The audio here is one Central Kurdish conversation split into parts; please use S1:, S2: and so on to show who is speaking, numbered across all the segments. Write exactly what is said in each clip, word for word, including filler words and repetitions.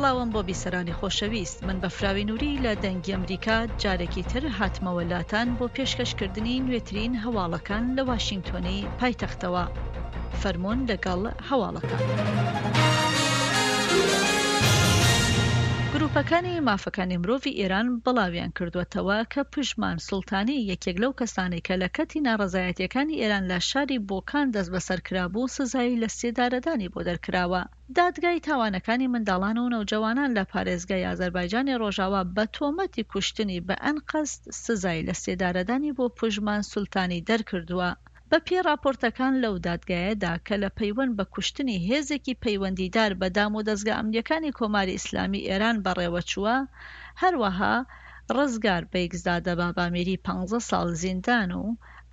S1: سڵاوم بۆ بیسەرانی خۆشەویست، من بەفراوی نوری لە دەنگی ئەمریکا جارێکی تر هاتمەوە لاتان بۆ پێشکەشکردنی نوێترین هەواڵەکان لە واشینگتۆنی پایتەختەوە. فەرموون لەگەڵ هەواڵەکان. گروپەکانی مافەکانی مرۆڤی ئێران بڵاویان کردووەتەوە کە پژمان سوڵتانی یەکێک لەو کەسانەی کە لە کاتی ناڕەزایەتیەکانی ئێران لە شاری بۆکان دەستبەسەر کرابوو سزای لە سێدارەدانی بۆ دەرکراوە. دادگای تاوانەکانی منداڵان و نەوجەوانان لە پارێزگای ئازەربایجانی ڕۆژاوا بە تۆمەتی کوشتنی بە ئەنقەست سزای لە سێدارەدانی بۆ پژمان سوڵتانی دەرکردووە. بە پێی ڕاپۆرتەکان لەو دادگایەدا کە لە پەیوەند بە کوشتنی هێزێکی پەیوەندیدار بە دام و دەزگا ئەمنیەکانی کۆماری ئیسلامی ئێران بەڕێوەچووە، هەروەها ڕزگار بەیگزادە بابامیری پانزە ساڵ زیندان و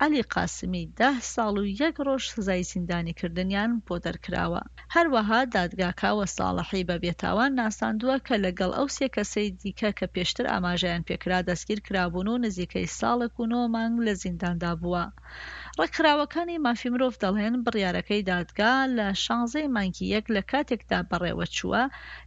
S1: عەلی قاسمی ده ساڵ و یەک ڕۆژ سزای زیندانیکردنیان بۆ دەرکراوە. هەروەها دادگا کاوە ساڵحی بە بێتاوان ناساندووە کە لەگەڵ ئەو سێ کەسەی دیکە کە پێشتر ئاماژەیان پێکرا دەستگیر کرابوون و نزیکەی ساڵێک و نۆ مانگ لە زینداندا بووە. ڕێکخراوەکانی مافی مرۆڤ دەڵێن بڕیارەکەی دادگا لە شانزەی مانگی یەک لە کاتێکدا بەڕێوەچووە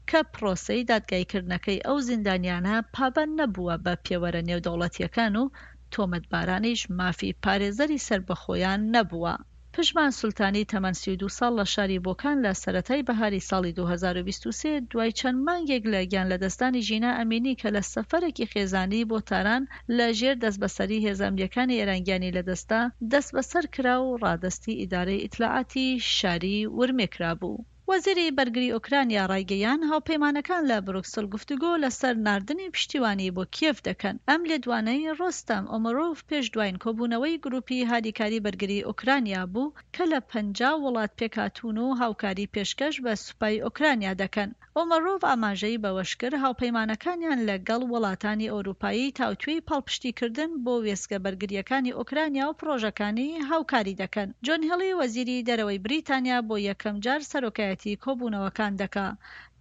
S1: کە پرۆسەی دادگاییکردنەکەی ئەو زیندانیانە پابەند نەبووە بە پێوەرە نێودەوڵەتیەکان و تۆمەتبارانیش مافی پارێزەری سەربەخۆیان نەبووە. پژمان سولتانی تەمەن سی و دوو ساڵ لە شاری بۆکان لە سەرەتای بەهاری ساڵی دوو هەزار و بیست و سێ دوای چەند مانگێک لە گیانلەدەستدانی ژینا ئەمینی کە لە سەفەرێکی خێزانی بۆ تاران لە ژێر دەستبەسەری هێزە ئەمنیەکانی ئێران گیانی لەدەستدا، دەستبەسەر کرا و ڕادەستی ئیدارەی ئیتلاعاتی شاری ورمێ کرابوو. وەزیری بەرگری ئۆکرانیا ڕایگەیاند، هاوپەیمانەکان لە بروکسل گفتوگۆ لەسەر ناردنی پشتیوانی بۆ کیێڤ دەکەن. ئەم لێدوانەی ڕۆستەم ئۆمەرۆڤ پێش دواین کۆبوونەوەی گروپی هاریکاری بەرگری ئۆکرانیا بوو کە لە پەنجا وڵات پێکهاتوون و هاوکاری پێشکەش بە سوپای ئۆکرانیا دەکەن. ئۆمەرۆڤ ئاماژەی بەوەشکرد، هاوپەیمانەکانیان لەگەڵ وڵاتانی ئەوروپایی تاوتوێی پاڵپشتیکردن بۆ وێستگە بەرگرییەکانی ئۆکرانیا و پڕۆژەکانی هاوکاری دەکەن. جۆن هێڵی وەزیری دەرەوەی بریتانیا بۆ یەکەمجار سەرۆکایەتی کۆبوونەوەکان دەکا.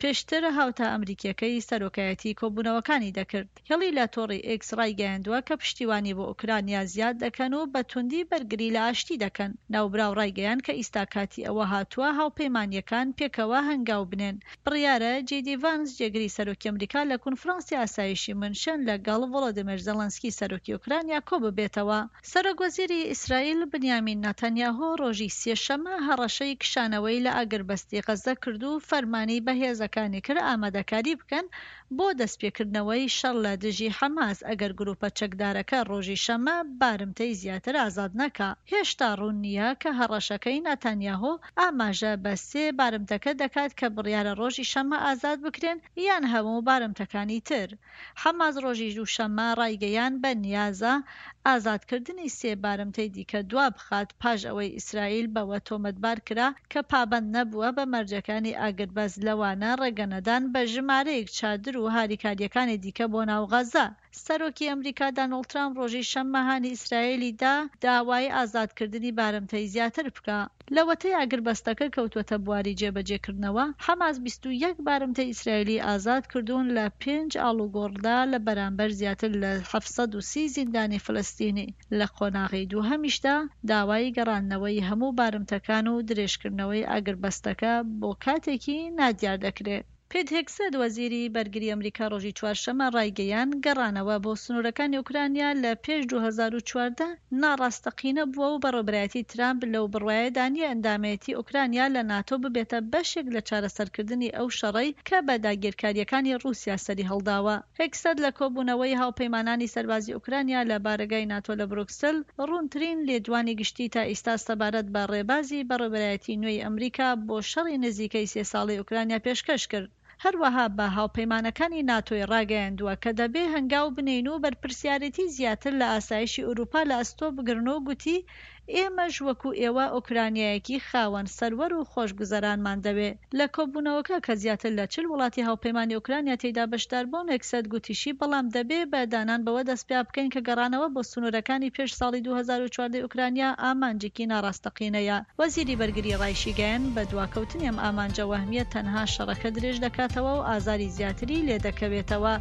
S1: پێشتر هاوتا ئەمریکیەکەی سەرۆکایەتی کۆبوونەوەکانی دەکرد. هێڵی لە تۆڕی ئێکس ڕایگەیاندووە کە پشتیوانی بۆ ئۆکرانیا زیاد دەکەن و بە توندی بەرگری لە ئاشتی دەکەن. ناوبراو ڕایگەیاند کە ئیستا کاتی ئەوە هاتووە هاوپەیمانیەکان پێکەوە هەنگاو بنێن. بڕیارە جی دی ڤانس جێگری سەرۆکی ئەمریکا لە کۆنفرانسی ئاسایشی مونشن لەگەڵ ڤۆلۆدیمێر زێلێنسکی سەرۆکی ئۆکرانیا کۆببێتەوە. سەرۆک وەزیری ئیسرائیل بنیامین ناتانیاهۆ ڕۆژی سێشەممە هەڕەشەی کشانەوەی لە ئاگربەستی غەززە کرد و فەرمانی بە هێزەکانی کرد ئامادەکاری بکەن بۆ دەستپێکردنەوەی شەڕ لە دژی حەماس ئەگەر گروپە چەکدارەکە ڕۆژی شەممە بارمتەی زیاتر ئازاد نەکا. هێشتا ڕوون نییە کە هەڕەشەکەی ناتانیاهۆ ئاماژە بە سێ بارمتەکە دەکات کە بڕیارە ڕۆژی شەممە ئازاد بکرێن یان هەموو بارمتەکانی تر. حەماس ڕۆژی دووشەممە ڕایگەیاند بە نیازە ئازادکردنی سێ بارمتەی دیکە دوا بخات پاش ئەوەی ئیسرائیل بەوە تۆمەتبار کرا کە پابەند نەبووە بە مەرجەکانی ئاگربەست لەوانە ڕێگەنەدان بە ژمارەیەک چادر و هاریکارییەکانی دیکە بۆ ناو غەزە. سەرۆکی ئەمریکا دانۆڵد ترامپ ڕۆژی شەممە هانی ئیسرائیلی دا داوای ئازادکردنی بارمتەی زیاتر بکا. لەوەتەی ئاگربەستەکە کەوتووەتە بواری جێبەجێکردنەوە، حەماس بیست و یەک بارمتەی ئیسرائیلی ئازاد کردوون لە پێنج ئاڵوگۆڕدا لە بەرامبەر زیاتر لە حەفت سەد و سی زیندانی فلستینی. لە قۆناغی دووهەمیشدا داوای گەڕاندنەوەی هەموو بارمتەکان و درێژکردنەوەی ئاگربەستەکە بۆ کاتێکی نادیار دەکرێت. پیت هێگسێت وەزیری بەرگری ئەمریکا ڕۆژی چوارشەممە ڕایگەیاند، گەڕانەوە بۆ سنوورەکانی ئۆکرانیا لە پێش دوو هەزار و چواردە ناڕاستەقینە بووە و بەڕێوەبەرایەتی ترامپ لەو بڕوایەدا نییە ئەندامێتی ئۆکرانیا لە ناتۆ ببێتە بەشێک لە چارەسەرکردنی ئەو شەڕەی کە بە داگیرکارییەکانی ڕووسیا سەریهەڵداوە. هێگسێت لە کۆبوونەوەی هاوپەیمانانی سەربازی ئۆکرانیا لە بارەگای ناتۆ لە بروکسل ڕوونترین لێدوانی گشتی تا ئیستا سەبارەت بە ڕێبازی بەڕێوەبەرایەتی نوێی ئەمریکا بۆ شەڕی نزیکەی سێ ساڵەی ئۆکرانیا پێشکەش کرد. هەروەها بە هاوپەیمانەکانی ناتۆی ڕاگەیاندووە کە دەبێ هەنگاو بنێین و بەرپرسیارێتی زیاتر لە ئاسایشی ئەوروپا لە ئەستۆ بگرن و گوتی ئێمەش وەکو ئێوە ئۆکرانیایەکی خاوەن سەروەر و خۆشگوزەرانمان دەوێ. لە کۆبوونەوەکە کە زیاتر لە چل وڵاتی هاوپەیمانی ئۆکرانیا تێیدا بەشدار بوون، هێگسێت گوتیشی بەڵام دەبێ بە دانان بەوە دەست پیا بکەین کە گەڕانەوە بۆ سنوورەکانی پێش ساڵی دوو هەزار و چواردە ئۆکرانیا ئامانجێکی ناڕاستەقینەیە. وەزیری بەرگری ڕایشیگەیاند بە دواکەوتنی ئەم ئامانجە وەهمیە تەنها شەڕەکە درێژ دەکاتەوە و ئازاری زیاتری لێدەکەوێتەوە.